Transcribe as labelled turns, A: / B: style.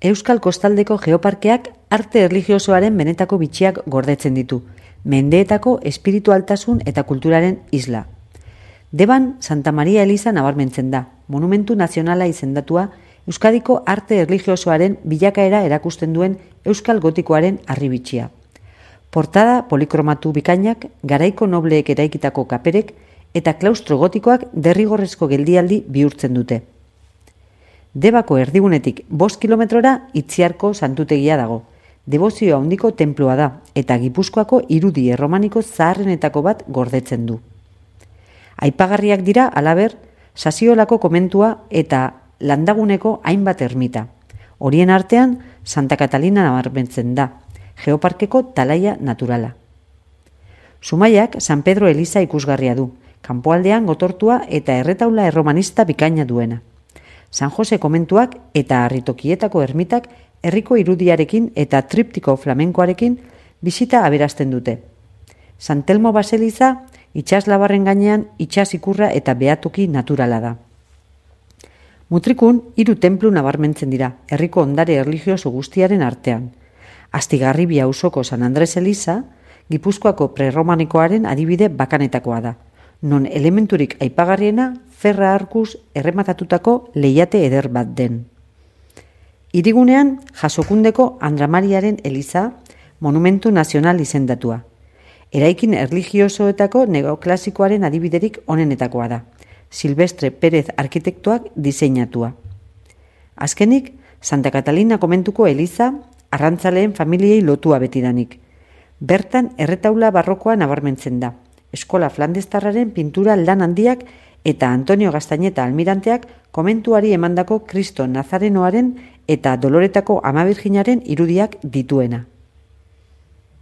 A: Euskal Kostaldeko Geoparkeak arte erlijiosoaren benetako bitxiak gordetzen ditu, mendeetako espiritualtasun eta kulturaren isla. Deban Santa Maria Eliza nabarmentzen da, monumentu nazionala izendatua Euskadiko arte erlijiosoaren bilakaera erakusten duen Euskal Gotikoaren harribitxia. Portada polikromatu bikainak, garaiko nobleek eraikitako kaperek eta klaustro gotikoak derrigorrezko geldialdi bihurtzen dute. Debako erdigunetik 5 kilometrora Itziarko santutegia dago. Debozio handiko tenplua da eta Gipuzkoako irudi erromaniko zaharrenetako bat gordetzen du. Aipagarriak dira halaber Sasiolako komentua eta landaguneko hainbat ermita. Horien artean Santa Katalina nabarmentzen da, Geoparkeko talaia naturala. Zumaiak San Pedro Eliza ikusgarria du, kanpoaldean gotortua eta erretaula erromanista bikaina duena. San Jose komentuak eta harritokietako ermitak herriko irudiarekin eta triptiko flamenkoarekin bisita aberasten dute. San Telmo baseliza itsaslabarren gainean itsas ikurra eta behatoki naturala da. Mutrikun 3 tenplu nabarmentzen dira, herriko ondare erlijioso guztiaren artean. Astigarribia auzoko San Andres Eliza, Gipuzkoako prerromanikoaren adibide bakanetakoa da, non elementurik aipagarriena ferra arkuz errematatutako lehiate eder bat den. Hirigunean Jasokundeko Andramariaren Eliza, monumentu nazional izendatua. Eraikin erlijiosoetako neoklasikoaren adibiderik onenetakoa da, Silvestre Pérez arkitektoak diseinatua. Azkenik, Santa Catalina komentuko Eliza, arrantzaleen familiei lotua betidanik. Bertan erretaula barrokoa nabarmentzen da, eskola flandestarraren pintura lan handiak eta Antonio Gaztañeta almiranteak komentuari emandako Kristo Nazarenoaren eta Doloretako Ama Birjinaren irudiak dituena.